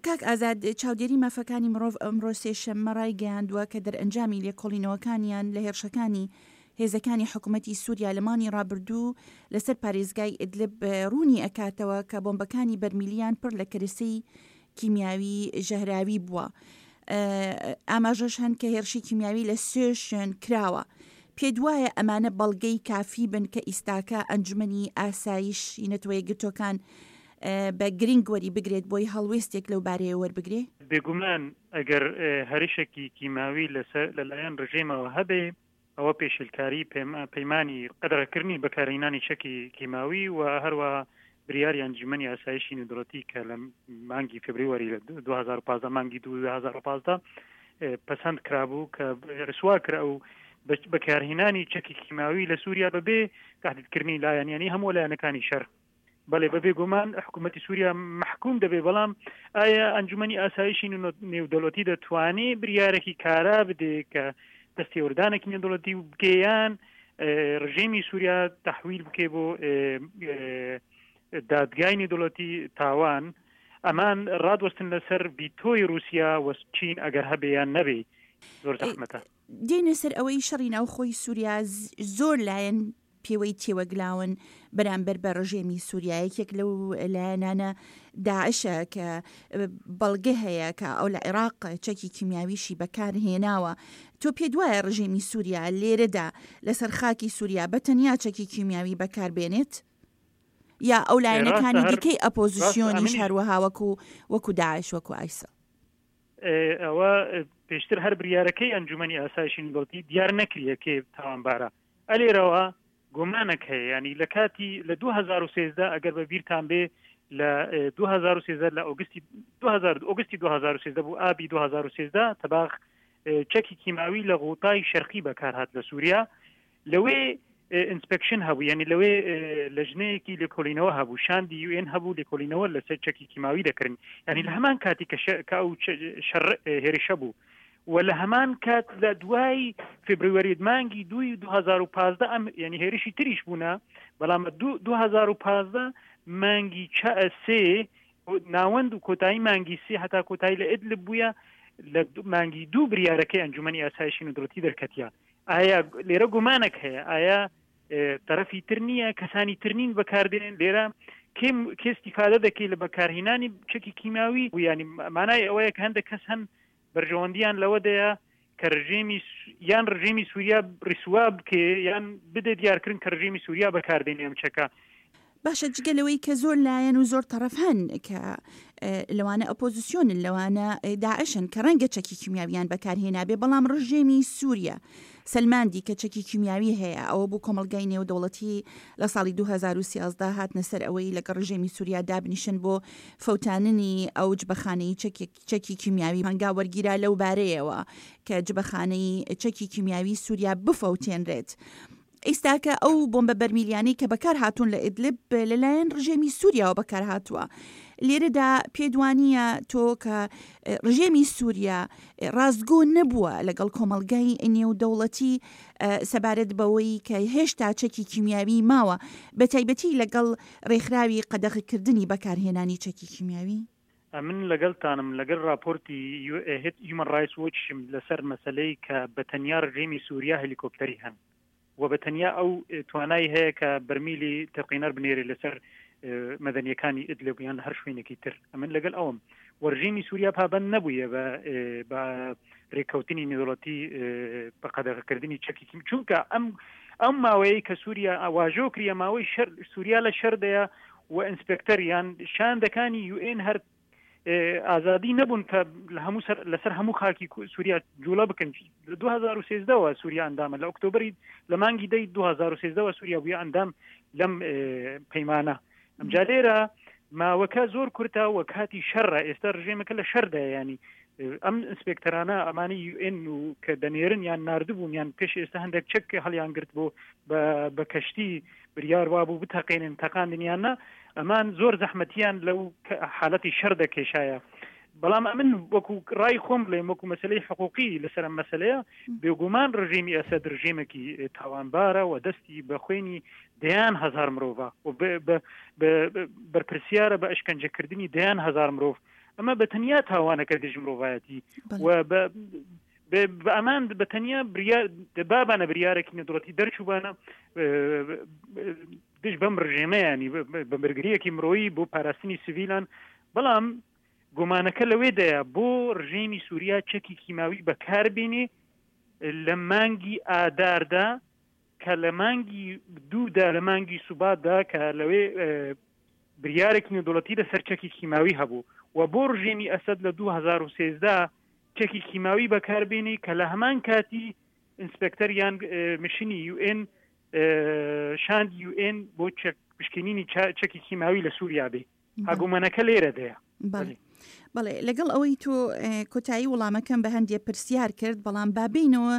کاک ئازاد، چاودێری مافەکانی مڕۆڤ ئەمڕۆ سێشەممە ڕایگەیاندووە کە دەرئەنجامی لێکۆڵینەوەکانیان لە هێرشەکانی هێزەکانی حکومەتی سوریا لە مانگی ڕابردوو لەسەر پارێزگای ئیدلب ڕوونی ئەکاتەوە کە بۆمبەکانی بەرمیلیان پڕ لە کەرەسەی کیمیاوی ژەهراوی بووە. ئاماژەش هەن کە هێرشی کیمیاوی لە سێ شوێن کراوە. پێت وایە ئەمانە بەڵگەی کافی بن کە ئیستاکە ئەنجومەنی ئاسایشی نەتەوەیەکگرتووەکان بە گرنگ وەری بگرێت بۆی هەڵوێستێک لەو بارەیە وەربگرێ؟ بێگومان ئەگەر هەرشێکی کیماوی لەسەر لەلایەن ڕژێمەوە هەبێ ئەوە پێشلکاری پەیمانی قەدەغەکردنی بەکارهینانی چەکی کیماوی و هەروەها بریاری ئەنجومەنی ئاسایشی نێودەوڵەتی کە لە مانگی فبریوەری لە 2015 مانگی 2015 پەسەند کرابوو کە رسوا کرا و بەکارهێنانی چەکی کیماوی لە سووریا بەبێ تهدیدکردنی لایەن یانی هەموو لایەنەکانی شەر بەڵێ بەبێ گومان حکوومەتی سووریا محکوم دەبێ بەڵام ئایا ئەنجومەنی ئاسایشی نێودەوڵەتی دەتوانێ بریارێکی کارا بدێ کە دەستێوەردانێکی نێودەوڵەتی و بکەیان ڕژێمی سووریا تحویل بکێ بۆ دادگای نێودەوڵەتی تاوان ئەمان ڕادوەستن لەسەر بیتۆی رووسیا وە چین ئەگەر هەبێ یان نەبێ زۆر زەحمەتە. دێینە سەر ئەوەی شەڕی ناوخۆی سووریا زۆر لایەن پێوەی تێوەگلاون بەرامبەر بە ڕژێمی سووریا، یەکێک لەو لایەنانە داعشە کە بەڵگە هەیە کە ئەو لە عێراق چەکی کیمیاویشی بەکار هێناوە. تۆ پێت وایە ڕژێمی سووریا لێرەدا لەسەر خاکی سووریا بە تەنیا چەکی کیمیاوی بەکار بێنێت؟ یا ئەو لایەنەکانی دیکەی ئەپۆزیسیۆنیش هەروەها وەکو وەکو داعش وەکو ئایسڵ؟ ئەوە پێشتر هەر بریارەکەی ئەنجومەنی ئاسایشی نێودەوڵەتی دیار نەکریە کێ تاوانبارە. ئەلێرەوە گومانەک هەیە یانی لە کاتی لە 2013 ئەگەر بە بیرتان بێ لە 2013 لە ئۆگستی 2000 ئۆگستی 2013 بوو ئابی 2013 تەباخ چەکی کیماوی لە غوتای شەرقی بەکارهات لە سووریا لەوێ ئینسپێکشن هەبوو یعنی لەوێ لەژنەیەکی لێکۆڵینەوە هەبوو شاندی یوئێن هەبوو لێکۆڵینەوە لەسەر چەکی کیماوی دەکردن یعنی لە هەمان کاتی کە کە ئەو شەڕ هێرشە بوو و لە هەمان کات لە دوای فبروەری مانگی دووی 2015 ئەم یعنی هێرشی تریش بوونە بەڵام 2015 مانگی سێ ناوەند و کۆتایی مانگی سێ هەتا کۆتایی لە ئیدلب بووە لە مانگی دوو بریارەکەی ئەنجومەنی ئاسایشی نودڵەتی دەرکەتیە ئایا لێرە گومانێک هەیە ئایا تەرەفی تر نییە کەسانی تر نین بەکاردێن لێرە کێم کێ استیفادە دەکەی لە بەکارهینانی چەکی کیمیاوی و ینی مانای ئەوەیە کە هەندێک کەس هەن بەرژەوەندیان لەوەدەیە کە ڕژێمی یان ڕژێمی سووریا ڕیسوا بکێ یان بدە دیارکردن کە ڕژێمی سووریا بەکاردێنێ ئەم چەکە. باشە جگە لەوەی کە زۆر لایەن و زۆر تەڕەف هەن کە لەوانە ئۆپۆزیسیۆنن لەوانە داعشن کە ڕەنگە چەکی کیمیاویان بەکارهێنابێ بەڵام ڕژێمی سووریا سەلماندی کە چەکی کیمیاوی هەیە ئەوە بوو کۆمەڵگای نێودەوڵەتی لە ساڵی 2013 هاتنە سەر ئەوەی لەگەڵ ڕژێمی سووریا دابنیشن بۆ فەوتاننی ئەو جبەخانەی چەکێک چەکی کیمیاوی هەنگاو وەرگیرا لەو بارەیەوە کە جبەخانەی چەکی کیمیاوی سووریا بفەوتێنرێت. ئیستاکە ئەو بۆمبە بەرمیلیانەی کە بەکار هاتوون لە ئیدلب لەلایەن ڕژێمی سووریاوە بەکار هاتووە. لێرەدا پێت وانییە تۆ کە ڕژێمی سووریا ڕاستگۆ نەبووە لەگەڵ کۆمەڵگای نێودەوڵەتی سەبارەت بەوەی کە هێشتا چەکی کیمیاوی ماوە بە تایبەتی لەگەڵ ڕێکخراوی قەدەغەکردنی بەکارهێنانی چەکی کیمیاوی؟ ئەمن لەگەڵتانم لەگەل ڕاپۆرتی هیومن ڕایتس وۆچشم لەسەر مەسەلەی کە بە تەنیا ڕژێمی سووریا هەلیکۆپتەری هەن و بە تەنیا ئەو توانای هەیە کە بەرمیلی تەقینەر بنێرێ لەسەر مەدەنیەکانی ئیدلب یان هەر شوێنێکی تر ئەمن لەگەل ئەوم وەرژێمی سووریا پابند نەبوویە بە بە رێککەوتنی نێودەوڵەتی بە قەدەغەکردنی چەکی کیم چونکە ئەم ئەم ماوەیە کە سووریا واژۆ کریە ماوەی شەر سووریا لە شەردەیە و ئینسپێکتەر یان شاندەکانی یوئێن هەر ئازادی نەبوون کە لە هەموو سەر لەسەر هەموو خاکی سووریا جوڵە بکەن لە 2013ەوە سووریا ئەندامە لە ئۆکتۆبری لە مانگی دەی 2013ەوە سووریا بووە ئەندام لەم پەیمانە ئەمجا لێرە ماوەکە زۆر کورتە و کاتی شەڕە ئێستا ڕژێمەکە لە شەردا ینی ئەم ئینسپێکتەرانە ئەمانی یوئێن و کە دەنێرن یان نردبوون یان پێش ئێستا هەندێک چەک هەڵیان گرت بۆ بە کەشتی بریار وابوو بتەقێنن تەقاندنیان نا ئەمان زۆر زەحمەتیان لەو حالەتی شەر دەکێشایە بەڵام ئەمن وەکو ڕای خۆم بڵێم وەکو مەسلەی حقوقی لەسەر ئەم مەسلەیە بێگومان ڕژێمی ئەسەد ڕژێمێکی تاوانبارە و دەستی بە خوێنی دەیان هەزار مرۆڤە و بەرپرسیارە بە ئەشکەنجەکردنی دەیان هەزار مرۆڤ. ئەمە بە تەنیا تاوانەکە دژ مرۆڤایەتی و بە بە ئەمان بە تەنیا بریار بابانە بریارێکی نێودەوڵەتی دەرچووبانە دژ بەم ڕژێمەیانی بە بەرگریەکی مرۆیی بۆ پاراستنی سڤیلان بەڵام گومانەکە لەوێدایە بۆ ڕژێمی سووریا چەکی کیماوی بەکاربێنێ لە مانگی ئاداردا کە لە مانگی دوودا لە مانگی سوباتدا کە لەوێ بریارێکی نێودەوڵەتی لەسەر چەکی کیماوی هەبوو و بۆ ڕژێمی ئەسەد لە 2013 چەکی کیماوی بەکاربێنی کە لە هەمان کاتی ئینسپێکتەر یان مشنی یوئێن شاند یوئێن بۆ چەک پشکنینی چەکی کیماوی لە سووریا بێ هاگومانەکە لێرە دەیە. بەڵێ بەڵێ لەگەڵ ئەوەی تۆ کۆتایی وڵامەکەم بە هەندێ پرسیار کرد بەڵام بابینەوە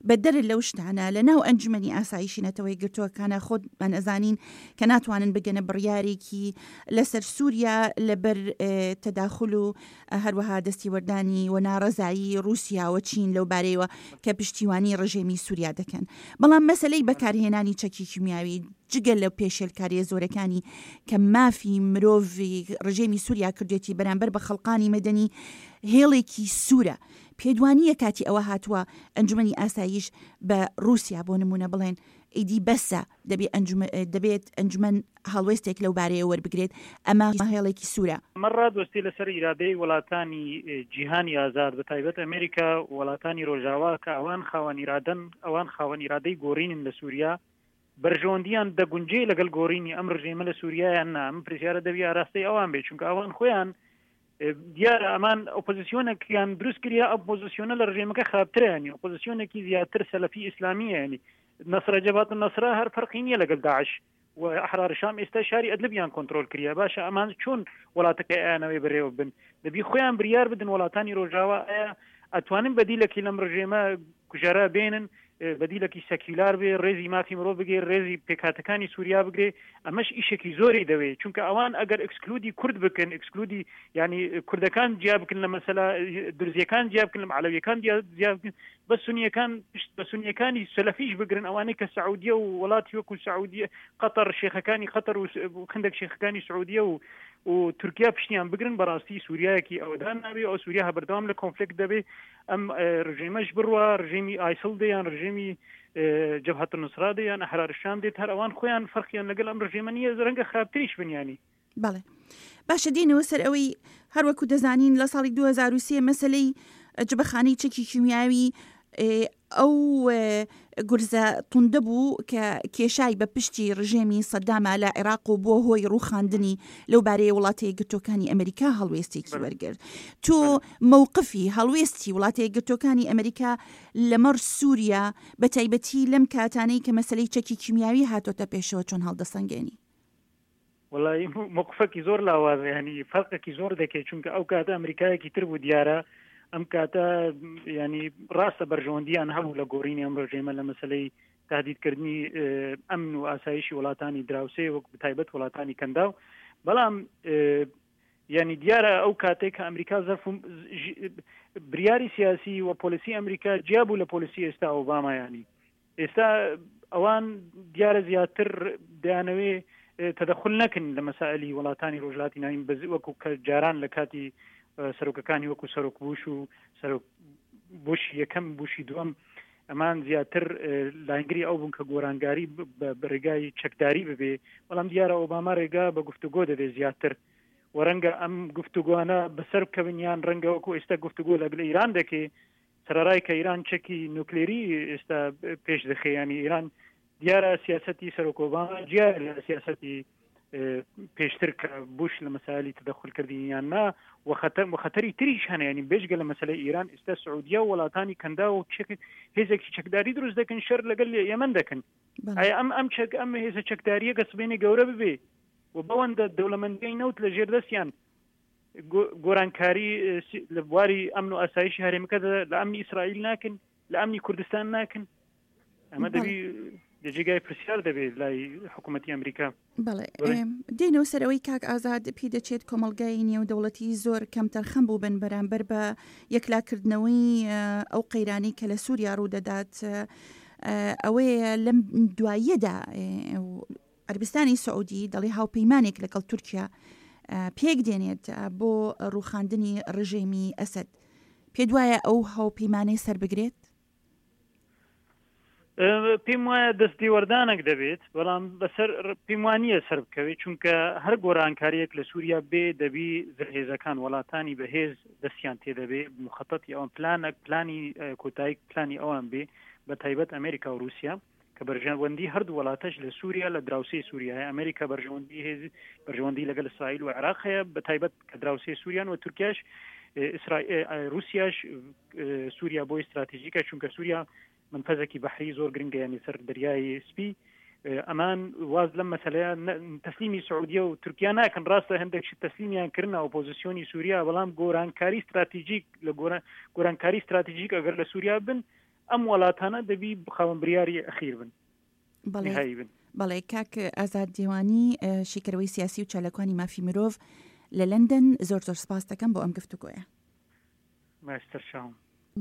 بە دەر لەو شتانە لە ناو ئەنجومەنی ئاسایشی نەتەوەی گرتووەکانە خۆتمان ئەزانین کە ناتوانن بگەنە بڕیارێکی لەسەر سووریا لەبەر تەداخل و هەروەها دەستیوەردانی و ناڕەزایی ڕووسیا و چین لەو بارەیەوە کە پشتیوانی ڕژێمی سووریا دەکەن بەڵام مەسەلەی بەکارهێنانی چەکی کیمیاوی جگە لە پێشێلکارییە زۆرەکانی کە مافی مرۆڤی ڕژێمی سووریا کردوێتی بەرامبەر بە خەڵقانی مەدەنی هێڵێکی سوورە. پێت وانییە کاتی ئەوە هاتووە ئەنجومەنی ئاسایش بە ڕووسیا بۆ نموونە بڵێن ئیدی بەسە دەبێ دەبێت ئەنجومەن هەڵوێستێک لەو بارەیە وەربگرێت ئەمە هێڵێکی سوورە. ئەمە ڕادوەستێ لەسەر ئیرادەی وڵاتانی جیهانی ئازاد بە تایبەت ئەمریکا و وڵاتانی ڕۆژاوا کە ئەوان خاوەن ئیرادەن ئەوان خاوەن ئیرادەی گۆڕینن لە سووریا بەرژەوەندیان دەگونجێ لەگەڵ گۆڕینی ئەم ڕژێمە لە سووریا یان نا؟ ئەم پرسیارە دەبی ئاراستەی ئەوان بێت، چونکە ئەوان خۆیان دیارە ئەمان ئۆپۆزیسیۆنێکیان دروست کریا، ئۆپۆزیسیۆنە لە ڕژێمەکە خراپترە، ینی ئۆپۆزیسیۆنێکی زیاتر سەلەفی ئیسلامیە، ینی نەسرە جەبهەت نەسرە هەر فەرقی نییە لەگەڵ داعش و ئەحرار شام ئێستا شاری ئەدلبیان کۆنترۆل کریا. باشە ئەمان چۆن وڵاتەکەی ئەیانەوەی بەرێوە بن؟ دەبی خۆیان بریار بدن وڵاتانی ڕۆژاوا ئایا ئەتوانن بەدیلەکی لەم ڕژێمە کوژەرە بێنن بەدیلەکی سەکیولار بێ، ڕێزی مافی مرۆڤ بگرێ، ڕێزی پێکهاتەکانی سووریا بگرێ، ئەمەش ئیشێکی زۆری دەوێ، چونکە ئەوان ئەگەر ئەکسکلودی کورد بکەن، ئەکسکلودی یانی کوردەکان جیا بکەن لە مەسەلە درزیەکان جیا بکەن لە عەلەویەکان جیا بکەن، بە سونیەکان پشت بە سونیەکانی سەلەفیش بگرن، ئەوانەی کە سعودیە و وڵاتی وەکو سعودیە قەتەر شێخەکانی قەتەر و خندێک شێخەکانی سعودیە و و تورکیا پشتیان بگرن، بەڕاستی سووریایەکی ئەوەدان نابێ، ئەو سووریا بەردەوام لە کۆنفلێکت دەبێ. ئەم ڕژێمەش بڕوا ڕژێمی ئایسڵ دێ یان ڕژێمی جەبهەت نوسرا دێ یان ئەحرار شام دێت هەر ئەوان خۆیان فەرقیان لەگەڵ ئەم ڕژێمە نییە ڕەنگە خراپتریش بن ینی. بەڵێ باشە دێنەوە سەر ئەوەی هەروەکو دەزانین لە ساڵی 2023 مەسلەی جبەخانەی چەکی کیمیاوی ئەو گورزە توندە بوو کە کێشای بە پشتی ڕژێمی سەداما لە عێراق و بووە هۆی ڕووخاندنی، لەو بارەیە وڵاتە یەکگرتووەکانی ئەمریکا هەڵوێستێکی وەرگرت. تۆ مەوقفی، هەڵوێستی، وڵاتە یەکگرتووەکانی ئەمریکا لەمەڕ سووریا، بە تایبەتی لەم کاتانەی کە مەسەلەی چەکی کیمیاوی هاتۆتە پێشەوە چۆن هەڵدەسەنگێنی؟ وەڵایی مەوقفەکی زۆر لاوازە ینی فەرقێکی زۆر دەکەی چونکە ئەو کاتە ئەمریکایەکی تر بوو دیارە ئەم کاتە ینی ڕاستە بەرژەوەندیان هەبوو لە گۆڕینی ئەم ڕژێمە لە مەسلەی تهدیدکردنی ئەمن و ئاسایشی وڵاتانی دراوسێ وەک بتایبەت وڵاتانی کەنداو بەڵام ینی دیارە ئەو کاتێک کە ئەمریکا زەرف بریاری سیاسی و پۆلیسی ئەمریکا جیا بوو لە پۆلیسی ئێستا ئۆباما ینی ئێستا ئەوان دیارە زیاتر دەیانەوێ تەدەخل نەکەن لە مەسائلی وڵاتانی ڕۆژهەڵاتی ناوین بەز وەکو کە جاران لە کاتی سەرۆکەکانی وەکو سەرۆک بوش و سەرۆک بوشی یەکەم بوشی دووەم ئەمان زیاتر لاینگری ئەو بوون کە گۆرانگاری بە ڕێگای چەکداری ببێ بەڵام دیارە ئۆباما ڕێگا بە گفتوگۆ دەبێ زیاتر و ڕەنگە ئەم گفتوگۆانە بەسەر بکەون یان ڕەنگە وەکو ئێستا گفتوگۆ لەگەڵ ئیران دەکەی سەرەڕای کە ئیران چەکی نوکلێری ئێستا پێش دەخێ ینی ئیران دیارە سیاستی سەرۆک ئۆباما جیا لە سیاستی پێشتر کە بوش لە مەسالی تدەخلکردنی یان نا وخەتەر وخەتەری تریش هەنە ینی بێجگە لە مەسلەی ئیران ئێستا سعودیە و وڵاتانی کەندا و چەک هێزێکی چەکداری دروست دەکەن شەر لەگەل یەمەن دەکەن ئایا ئەم ئەم چەک ئەم هێزە چەکداریە گە سبێنێ گەورە ببێ و بەوەندە دەوڵەمەندیی نەوت لە ژێر دەستیان گۆرانکاری لە بواری ئەمن و ئاسایشی هەرێمەکە لە ئەمنی ئیسرائیل ناکەن لە ئەمنی کوردستان ناکەن ئەمە دەبی لە جێگای پرسیار دەبێت لای حکوومەتتی ئەمریکا بەڵێ دێنەوە سەرەوەی کاک ئازاد پێ دەچێت کۆمەلگای نێودەوڵەتی زۆر کەمتەرخەم بوو بن بەرامبەر بە یەکلاکردنەوەی ئەو قەیرانی کە لە سووریا ڕوودەدات ئەوەیە لەم دواییەدا عەربستانی سعودی دەڵێ هاوپەیمانێک لەگەڵ تورکیا. پێک دێنێت بۆ ڕووخاندنی ڕژێمی ئەسەد، پێت وایە ئەو هاوپەیمانەی سەربگرێت؟ پێم وایە دەست تێوەردانێک دەبێت بەڵام بەسەر پێم وانە سەر بکەوێت چونکە هەر گۆرانکاریەک لە سووریا بێ دەبی زرهێزەکان وڵاتانی بەهێز دەستیان تێدەبێ مخەتەتی ئەوان پلانەک پلانی کۆتایی پلانی ئەوان بێ بە تایبەت ئەمریکا و رووسیا کە بەرژەوەندی هەردوو وڵاتەش لە سووریا لە دراوسێی سووریا هەیە ئەمریکا بەرژەوەندی هێز بەرژەوەندی لەگەڵ ئیسرائیل و عێراق هەیە بە تایبەت کە دراوسێ سووریان و تورکیاش رووسیاش سووریا بۆی استراتیژیکە چونکە سووریا منفەزێکی بەحری زۆر گرنگە ینی سەر دەریای سپی ئەمان واز لەم مەسلەیە تەسلیمی سعودیە و تورکیا ناکەن ڕاستە هەندێک شت تەسلیمیان کردن ئۆپۆزیسیۆنی سووریا بەڵام گۆرانکاری استراتیژیک لە گۆرانکاری استراتیژیک ئەگەر لە سووریا بن ئەم وڵاتانە دەبی خاوەن بریاری ئەخیر بن بەڵێ بەڵێ کاک ئازاد دێوانی شیکەرەوەی سیاسی و چالاکوانی مافی مرۆڤ لە لەندەن زۆر زۆر سپاس دەکەم بۆ ئەم گفتوگۆیە. ماستەر چاوم.